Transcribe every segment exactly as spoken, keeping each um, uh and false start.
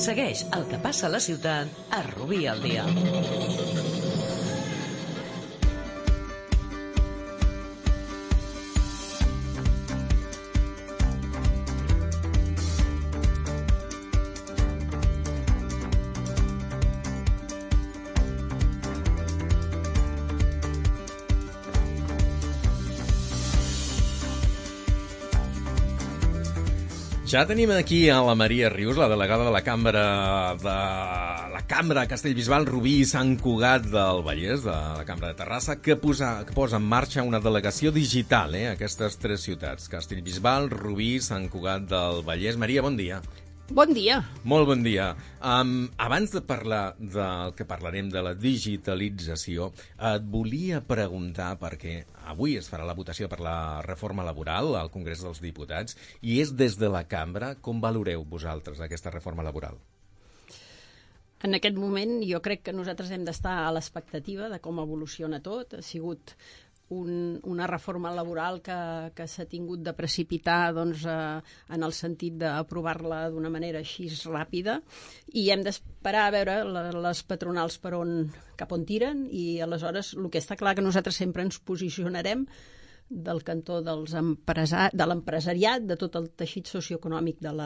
Segueix el que passa a la ciutat a Rubí al dia. Ja tenim aquí a la Maria Rius, la delegada de la Cambra de la Cambra Castellbisbal, Rubí i Sant Cugat del Vallès, de la Cambra de Terrassa, que posa, que posa en marxa una delegació digital, eh, a aquestes tres ciutats, Castellbisbal, Rubí i Sant Cugat del Vallès. Maria, bon dia. Bon dia. Molt bon dia. Um, abans de parlar del que parlarem de la digitalització, et volia preguntar, perquè avui es farà la votació per la reforma laboral al Congrés dels Diputats, i és des de la Cambra. Com valoreu vosaltres aquesta reforma laboral? En aquest moment jo crec que nosaltres hem d'estar a l'expectativa de com evoluciona tot. Ha sigut un, una reforma laboral que, que s'ha tingut de precipitar doncs, eh, en el sentit d'aprovar-la d'una manera així ràpida, i hem d'esperar a veure la, les patronals per on, cap on tiren, i aleshores el que està clar que nosaltres sempre ens posicionarem del cantó dels empresa... de l'empresariat, de tot el teixit socioeconòmic de la,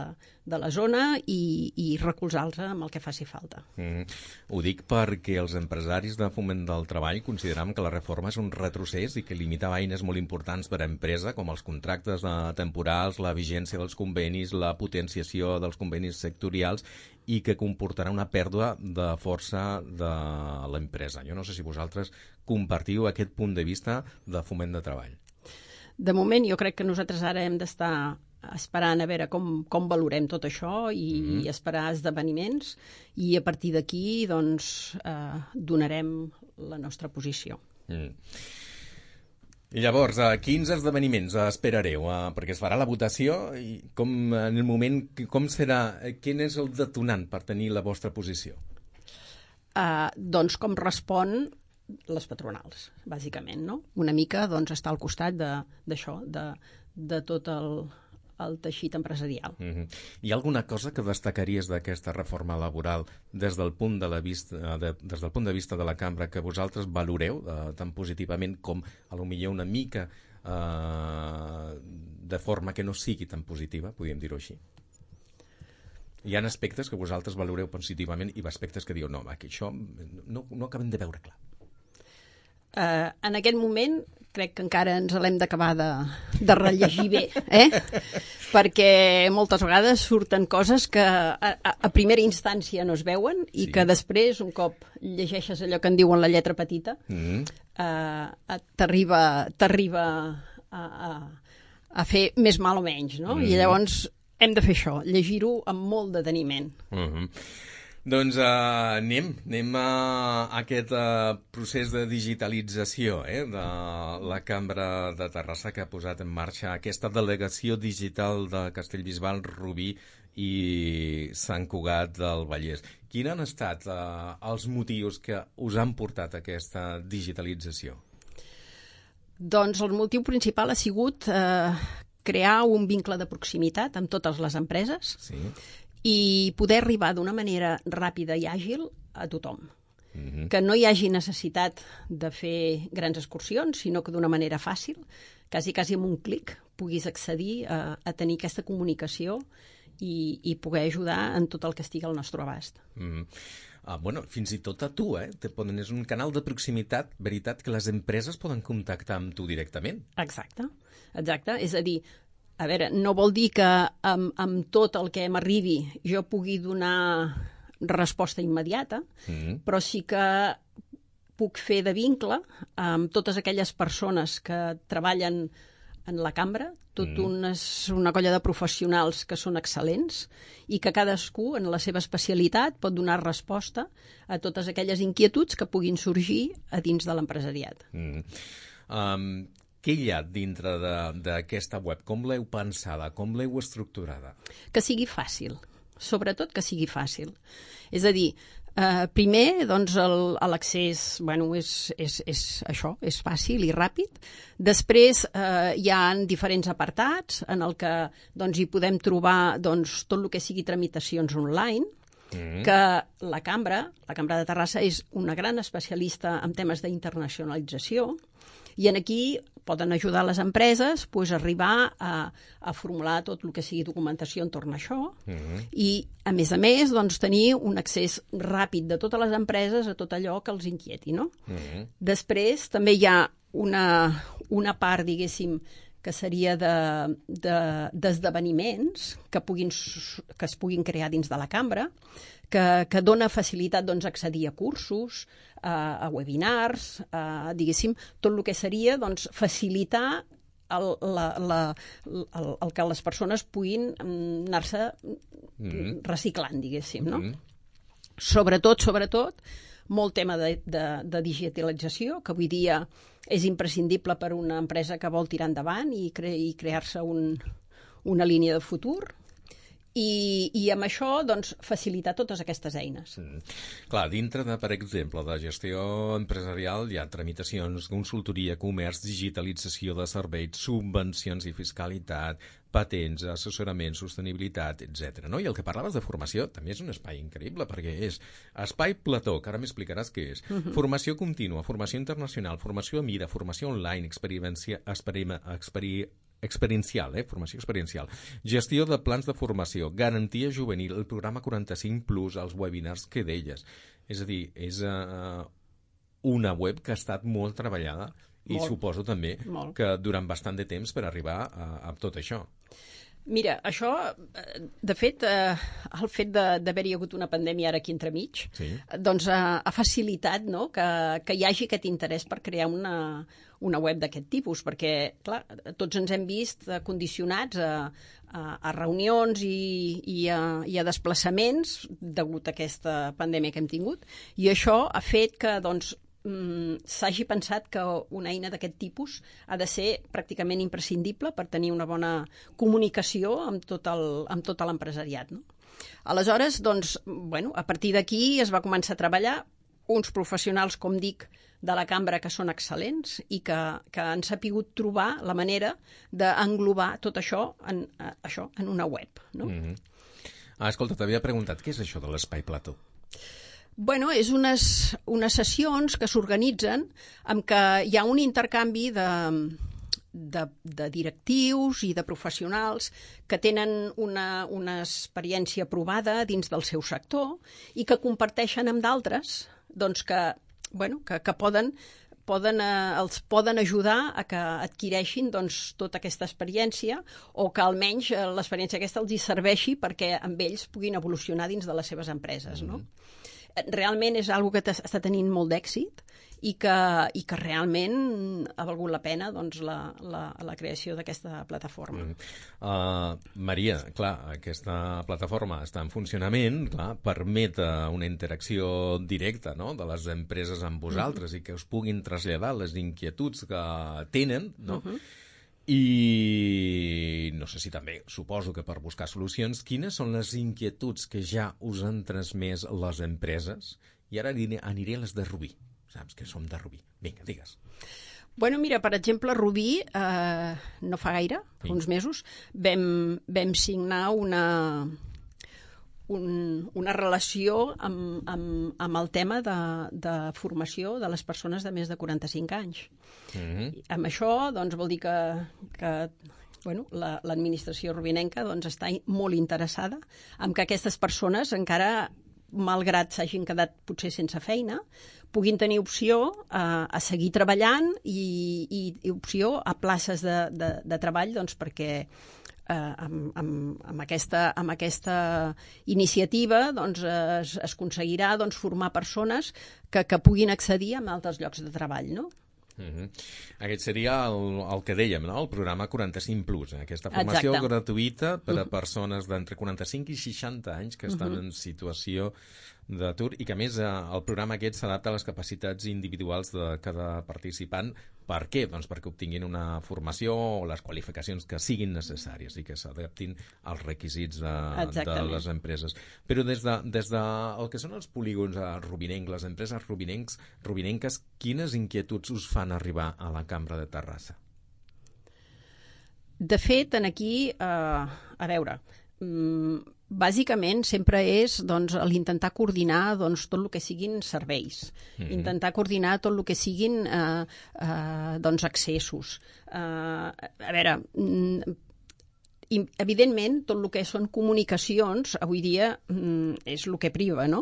de la zona, i, i recolzar-los amb el que faci falta. Mm. Ho dic perquè els empresaris de Foment del Treball consideram que la reforma és un retrocés i que limitava eines molt importants per a empresa, com els contractes temporals, la vigència dels convenis, la potenciació dels convenis sectorials, i que comportarà una pèrdua de força de l'empresa. Jo no sé si vosaltres compartiu aquest punt de vista de Foment de Treball. De moment, jo crec que nosaltres ara hem d'estar esperant a veure com, com valorem tot això i, mm. i esperar esdeveniments, i a partir d'aquí doncs, eh, donarem la nostra posició. Mm. I llavors, a quins esdeveniments esperareu? Uh, perquè es farà la votació, i com, en el moment, com serà, quin és el detonant per tenir la vostra posició? Uh, doncs com respon les patronals, bàsicament, no? Una mica doncs, està al costat d'això, de, de, de tot el, el teixit empresarial. Mm-hmm. Hi ha alguna cosa que destacaries d'aquesta reforma laboral des del punt de, la vista, de, des del punt de vista de la Cambra que vosaltres valoreu eh, tan positivament com a lo millor una mica eh, de forma que no sigui tan positiva, podríem dir-ho així? Hi ha aspectes que vosaltres valoreu positivament i aspectes que diu no, que això no, no acabem de veure clar. Uh, en aquest moment crec que encara ens l'hem d'acabar de, de rellegir bé, eh? Perquè moltes vegades surten coses que a, a, a primera instància no es veuen i sí. que després, un cop llegeixes allò que en diuen la lletra petita, mm. uh, t'arriba t'arriba a, a, a fer més mal o menys, no? Mm. I llavors hem de fer això, llegir-ho amb molt deteniment. Mm-hmm. Doncs uh, anem, anem a aquest uh, procés de digitalització eh, de la Cambra de Terrassa, que ha posat en marxa aquesta delegació digital de Castellbisbal, Rubí i Sant Cugat del Vallès. Quins han estat uh, els motius que us han portat a aquesta digitalització? Doncs el motiu principal ha sigut eh, crear un vincle de proximitat amb totes les empreses, sí. i poder arribar d'una manera ràpida i àgil a tothom. Mm-hmm. Que no hi hagi necessitat de fer grans excursions, sinó que d'una manera fàcil, quasi, quasi amb un clic, puguis accedir a, a tenir aquesta comunicació i, i poder ajudar en tot el que estigui al nostre abast. Mm-hmm. Ah, bueno, fins i tot a tu, eh? Te poden, és un canal de proximitat, veritat, que les empreses poden contactar amb tu directament. Exacte, exacte. És a dir, a veure, no vol dir que amb, amb tot el que m'arribi jo pugui donar resposta immediata, mm-hmm. però sí que puc fer de vincle amb totes aquelles persones que treballen en la cambra, tot mm. una, una colla de professionals que són excel·lents i que cadascú, en la seva especialitat, pot donar resposta a totes aquelles inquietuds que puguin sorgir a dins de l'empresariat. Mm. Um... Què hi ha dintre d'aquesta web? Com l'heu pensada? Com l'heu estructurada? Que sigui fàcil, sobretot que sigui fàcil. És a dir, eh, primer, doncs, l'accés bueno, és, és, és això, és fàcil i ràpid. Després eh, hi ha diferents apartats en el que doncs, hi podem trobar doncs, tot el que sigui tramitacions online. mm. que la Cambra, la Cambra de Terrassa, és una gran especialista en temes d'internacionalització i en aquí poden ajudar les empreses pues, a arribar a, a formular tot el que sigui documentació entorn a això mm-hmm. i, a més a més, doncs, tenir un accés ràpid de totes les empreses a tot allò que els inquieti. No? Mm-hmm. Després, també hi ha una, una part, diguéssim, que seria d'esdeveniments de, de, que, puguin, que es puguin crear dins de la cambra, que, que dona facilitat doncs, a accedir a cursos, a, a webinars, a, diguéssim, tot el que seria doncs, facilitar el, la, la, el, el que les persones puguin anar-se mm-hmm. reciclant, diguéssim. No? Mm-hmm. Sobretot, sobretot, molt tema de, de, de digitalització, que avui dia és imprescindible per a una empresa que vol tirar endavant i, cre i crear-se un, una línia de futur. I, i amb això doncs, facilitar totes aquestes eines. Mm. Clar, dintre de, per exemple, de gestió empresarial hi ha tramitacions, consultoria, comerç, digitalització de serveis, subvencions i fiscalitat, patents, assessorament, sostenibilitat, etcètera. No? I el que parlaves de formació també és un espai increïble, perquè és espai plató, que ara m'explicaràs què és, uh-huh. formació contínua, formació internacional, formació a mida, formació online, experiència, experima, experi, experiencial, eh? formació experiencial, gestió de plans de formació, garantia juvenil, el programa quaranta-cinc plus, els webinars que deies. És a dir, és uh, una web que ha estat molt treballada i molt, suposo també molt. que durant bastant de temps per arribar a, a tot això. Mira, això, de fet, eh, el fet d'haver-hi hagut una pandèmia ara aquí entremig, sí. doncs ha, ha facilitat no? que, que hi hagi aquest interès per crear una, una web d'aquest tipus, perquè, clar, tots ens hem vist condicionats a, a, a reunions i, i, a, i a desplaçaments degut a aquesta pandèmia que hem tingut, i això ha fet que, doncs, s'hagi pensat que una eina d'aquest tipus ha de ser pràcticament imprescindible per tenir una bona comunicació amb tot el, amb tot l'empresariat. No? Aleshores, doncs, bueno, a partir d'aquí es va començar a treballar uns professionals, com dic, de la cambra que són excel·lents i que, que han sapigut trobar la manera d'englobar tot això en, això en una web. No? Mm-hmm. Ah, escolta, t'havia preguntat, què és això de l'Espai Plató? Bueno, és unes, unes sessions que s'organitzen en què hi ha un intercanvi de, de, de directius i de professionals que tenen una, una experiència provada dins del seu sector i que comparteixen amb d'altres doncs que, bueno, que, que poden, poden, eh, els poden ajudar a que adquireixin doncs, tota aquesta experiència o que almenys eh, l'experiència aquesta els hi serveixi perquè amb ells puguin evolucionar dins de les seves empreses, no? Mm-hmm. Realment és una cosa que està tenint molt d'èxit i que, i que realment ha valgut la pena doncs, la, la, la creació d'aquesta plataforma. Mm. Uh, Maria, clar, aquesta plataforma està en funcionament, clar, permet una interacció directa, no?, de les empreses amb vosaltres mm. i que us puguin traslladar les inquietuds que tenen, no?, mm-hmm. I no sé si també, suposo que per buscar solucions, quines són les inquietuds que ja us han transmès les empreses? I ara aniré, aniré a les de Rubí. Saps que som de Rubí. Vinga, digues. Bueno, mira, per exemple, Rubí, eh, no fa gaire, fa uns mesos, vam, vam signar una... Un, una relació amb, amb, amb el tema de, de formació de les persones de més de quaranta-cinc anys. Mm-hmm. Amb això doncs, vol dir que, que bueno, l'administració la, rubinenca doncs, està molt interessada en que aquestes persones encara, malgrat s'hagin quedat potser sense feina, puguin tenir opció a, a seguir treballant i, i, i opció a places de, de, de treball doncs, perquè Uh, amb, amb, amb, aquesta, amb aquesta iniciativa doncs, es, es aconseguirà doncs, formar persones que, que puguin accedir a altres llocs de treball, no? Mm-hmm. Aquest seria el, el que dèiem, no? El programa quaranta-cinc plus, eh? Aquesta formació Exacte. gratuïta per a persones d'entre quaranta-cinc i seixanta anys que estan mm-hmm. en situació d'atur i que a més eh, el programa aquest s'adapta a les capacitats individuals de cada participant. Per què? Doncs perquè obtinguin una formació o les qualificacions que siguin necessàries i que s'adaptin als requisits de, de les empreses. Però des de, des de el que són els polígons eh, rubinencs, les empreses rubinencs, rubinenques, quines inquietuds us fan arribar a la Cambra de Terrassa? De fet, en aquí, eh, a veure, mm, bàsicament sempre és doncs, l'intentar coordinar doncs, tot el que siguin serveis, mm-hmm. intentar coordinar tot el que siguin eh, eh, doncs, accessos. Eh, a veure, i, evidentment, tot el que són comunicacions, avui dia mm, és el que priva, no?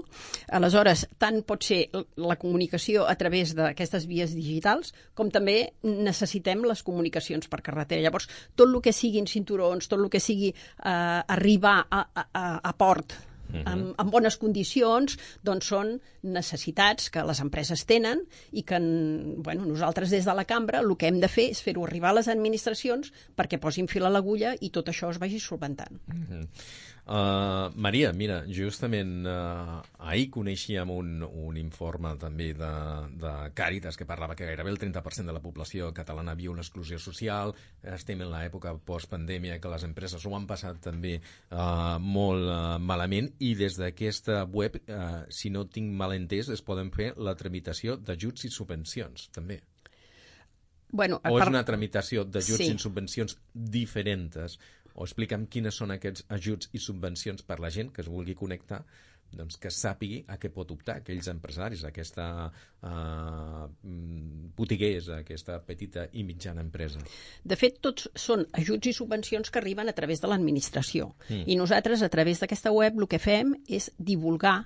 Aleshores, tant pot ser la comunicació a través d'aquestes vies digitals, com també necessitem les comunicacions per carretera. Llavors, tot el que siguin cinturons, tot el que sigui eh, arribar a, a, a port, Uh-huh. En, en bones condicions, doncs són necessitats que les empreses tenen i que bueno, nosaltres des de la cambra el que hem de fer és fer-ho arribar a les administracions perquè posin fil a l'agulla i tot això es vagi solventant. Uh-huh. Uh, Maria, mira, justament uh, ahir coneixíem un, un informe també de, de Càritas que parlava que gairebé el trenta per cent de la població catalana viu l'exclusió social. Estem en l'època postpandèmia que les empreses ho han passat també uh, molt uh, malament i des d'aquesta web, uh, si no tinc mal entès, es poden fer la tramitació d'ajuts i subvencions, també. Bueno, o és per... una tramitació d'ajuts sí. i subvencions diferents? O explica'm quines són aquests ajuts i subvencions per la gent que es vulgui connectar, doncs que sàpigui a què pot optar aquells empresaris, aquesta uh, botiguers, aquesta petita i mitjana empresa. De fet, tots són ajuts i subvencions que arriben a través de l'administració. Mm. I nosaltres, a través d'aquesta web, el que fem és divulgar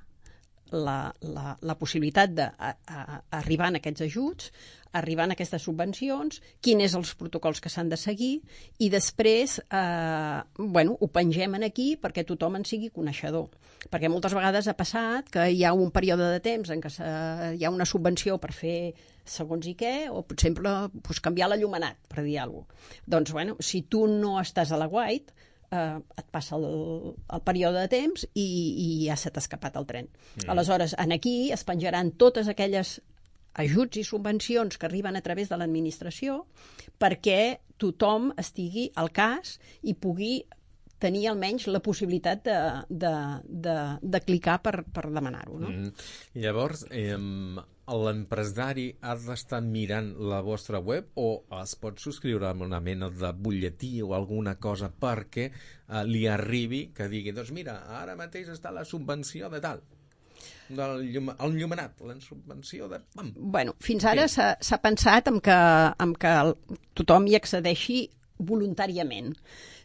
la, la, la possibilitat d'arribar a aquests ajuts, arribar a aquestes subvencions, quins són els protocols que s'han de seguir i després eh, bueno, ho pengem aquí perquè tothom en sigui coneixedor. Perquè moltes vegades ha passat que hi ha un període de temps en què hi ha una subvenció per fer segons i què, o per exemple pues, canviar l'enllumenat, per dir alguna cosa. Doncs, bueno, si tu no estàs a la White, eh, et passa el, el període de temps i, i ja se t'ha escapat el tren. Mm. Aleshores, en aquí es penjaran totes aquelles ajuts i subvencions que arriben a través de l'administració perquè tothom estigui al cas i pugui tenir almenys la possibilitat de, de, de, de clicar per, per demanar-ho. No? Mm. Llavors, eh, l'empresari ha d'estar mirant la vostra web o es pot subscriure amb una mena de butlletí o alguna cosa perquè eh, li arribi que digui, doncs mira, ara mateix està la subvenció de tal. Del llum, el llumenat, la subvenció de... Pam. Bueno, fins ara sí. s'ha pensat en que, en que el, tothom hi accedeixi voluntàriament.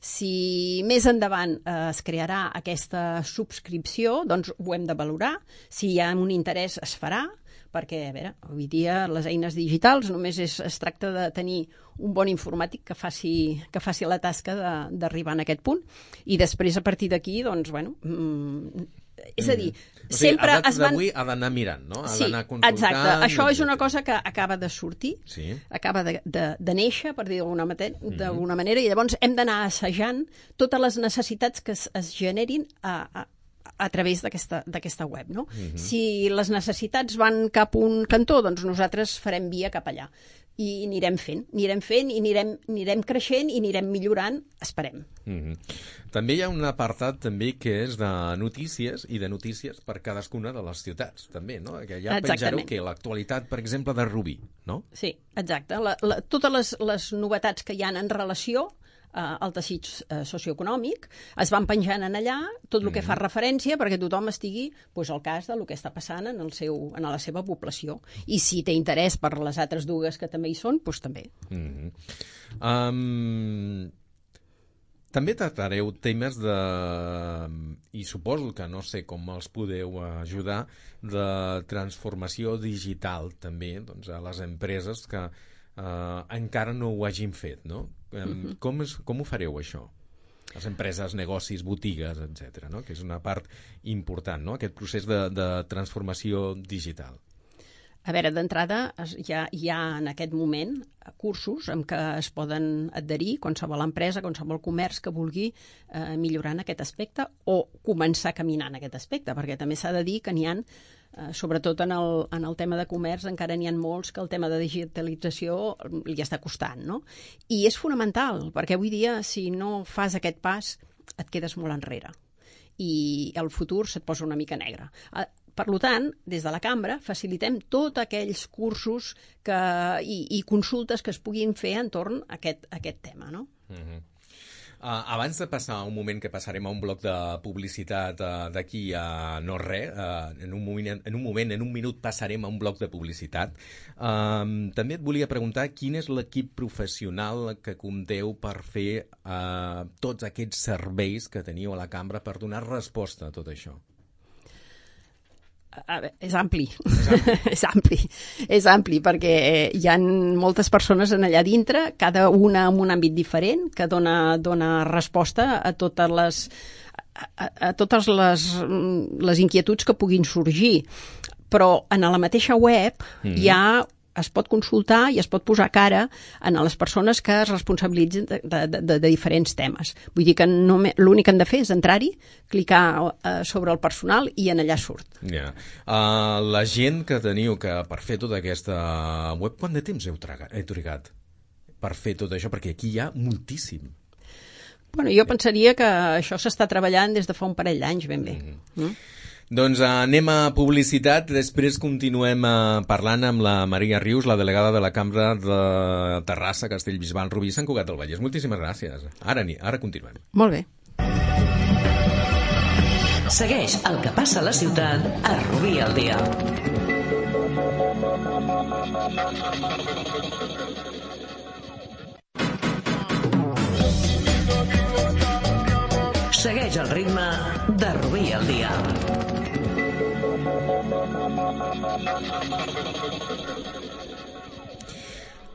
Si més endavant eh, es crearà aquesta subscripció, doncs ho hem de valorar. Si hi ha un interès es farà, perquè, a veure, avui dia les eines digitals només és, es tracta de tenir un bon informàtic que faci, que faci la tasca d'arribar a aquest punt. I després, a partir d'aquí, doncs, bueno... Mm, és a dir, mm. o sigui, sempre es van... d'avui ha d'anar mirant, no? Ha sí, d'anar consultant... exacte. Això és una cosa que acaba de sortir, sí. acaba de, de, de néixer, per dir d'alguna mm. manera, i llavors hem d'anar assajant totes les necessitats que es, es generin a, a, a través d'aquesta web. No? Mm-hmm. Si les necessitats van cap a un cantó, doncs nosaltres farem via cap allà. I anirem fent, anirem fent i anirem, anirem creixent i anirem millorant, esperem. Mm-hmm. També hi ha un apartat també que és de notícies i de notícies per cadascuna de les ciutats, també, no? Que ja penjareu que l'actualitat, per exemple, de Rubí, no? Sí, exacte. La, la, totes les, les novetats que hi ha en relació eh, al teixit eh, socioeconòmic es van penjant en allà tot el que fa referència perquè tothom estigui pues, al cas del que està passant en, el seu, en la seva població. I si té interès per les altres dues que també hi són, doncs també. Mm-hmm. Um... També tractareu temes de, i suposo que no sé com els podeu ajudar, de transformació digital també doncs, a les empreses que eh, encara no ho hagin fet, no? Uh-huh. Com, és, com ho fareu, això? Les empreses, negocis, botigues, etcètera, no? Que és una part important, no? Aquest procés de, de transformació digital. A veure, d'entrada hi ha, hi ha en aquest moment cursos en què es poden adherir qualsevol empresa, qualsevol comerç que vulgui eh, millorar en aquest aspecte o començar a caminar en aquest aspecte, perquè també s'ha de dir que n'hi ha, eh, sobretot en el, en el tema de comerç, encara n'hi ha molts que el tema de digitalització li està costant, no? I és fonamental, perquè avui dia si no fas aquest pas et quedes molt enrere i el futur se't posa una mica negre. Per tant, des de la cambra facilitem tots aquells cursos que, i, i consultes que es puguin fer entorn a aquest, a aquest tema. No? Mm-hmm. Uh, abans de passar a un moment que passarem a un bloc de publicitat uh, d'aquí a no res, uh, en, un moment, en un moment, en un minut passarem a un bloc de publicitat, uh, també et volia preguntar quin és l'equip professional que compteu per fer uh, tots aquests serveis que teniu a la cambra per donar resposta a tot això. A veure, és ampli, és ampli, és ampli perquè hi ha moltes persones en allà dintre, cada una amb un àmbit diferent, que dona, dona resposta a totes les, a, a totes les, les inquietuds que puguin sorgir. Però en la mateixa web mm-hmm. hi ha es pot consultar i es pot posar cara a les persones que es responsabilitzen de, de, de, de diferents temes. Vull dir que l'únic que han de fer és entrar-hi, clicar uh, sobre el personal i en allà surt. Yeah. Uh, la gent que teniu que per fer tota aquesta web, quant de temps heu, tragat, heu trigat per fer tot això? Perquè aquí hi ha moltíssim. Bueno, jo pensaria que això s'està treballant des de fa un parell d'anys, ben bé. Mm-hmm. Mm? Doncs uh, anem a publicitat, després continuem uh, parlant amb la Maria Rius, la delegada de la Cambra de Terrassa, Castellbisbal, Rubí, Sant Cugat del Vallès. Moltíssimes gràcies. Ara, ara continuem. Molt bé. Segueix el que passa a la ciutat a Rubí al dia. Segueix el ritme de Rubí al dia.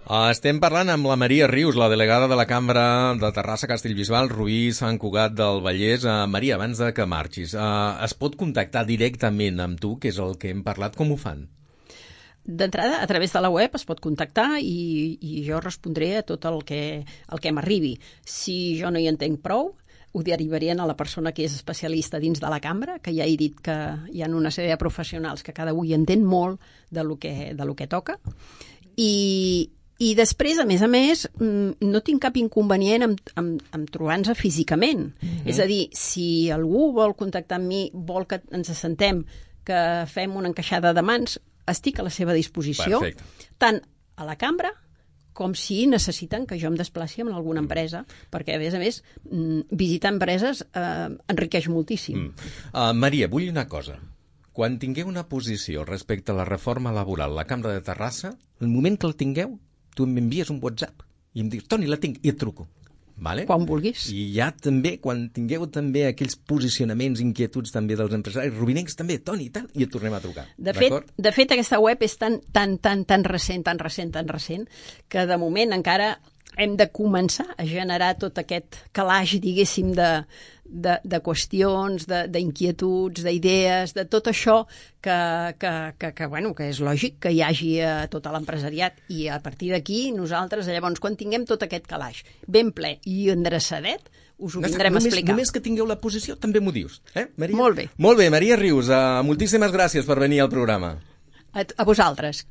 Estem parlant amb la Maria Rius, la delegada de la Cambra de Terrassa, Castellbisbal, Rubí, Sant Cugat del Vallès. Uh, Maria, abans de que marxis, uh, es pot contactar directament amb tu, que és el que hem parlat, com ho fan? D'entrada, a través de la web es pot contactar i, i jo respondré a tot el que, el que m'arribi. Si jo no hi entenc prou, ho derivarien a la persona que és especialista dins de la cambra, que ja he dit que hi ha una sèrie de professionals que cada un hi entén molt de lo que, de lo que toca. I, i després, a més a més, no tinc cap inconvenient en, en, en trobar-nos físicament. Mm-hmm. És a dir, si algú vol contactar amb mi, vol que ens assentem, que fem una encaixada de mans, estic a la seva disposició. Perfecte. Tant a la cambra com si necessiten que jo em desplaci en alguna empresa, perquè, a més a més, visitar empreses eh, enriqueix moltíssim. Mm. Uh, Maria, vull una cosa. Quan tingueu una posició respecte a la reforma laboral a la Cambra de Terrassa, el moment que la tingueu, tu m'envies un WhatsApp i em dius, Toni, la tinc, i et truco. Vale? Quan vulguis. I ja també, quan tingueu també aquells posicionaments, inquietuds també dels empresaris rubinencs, també, Toni, i tal, i et tornem a trucar. De fet, de fet, aquesta web és tan, tan, tan, tan recent, tan recent, tan recent, que de moment encara hem de començar a generar tot aquest calaix, diguéssim, de, de, de qüestions, d'inquietuds, de, d'idees, de tot això que, que, que, que, bueno, que és lògic que hi hagi a tot l'empresariat. I a partir d'aquí, nosaltres, llavors, quan tinguem tot aquest calaix ben ple i endreçadet, us ho vindrem només, a explicar. Només que tingueu la posició, també m'ho dius. Eh, Maria? Molt bé. Molt bé, Maria Rius, uh, moltíssimes gràcies per venir al programa. A, a vosaltres.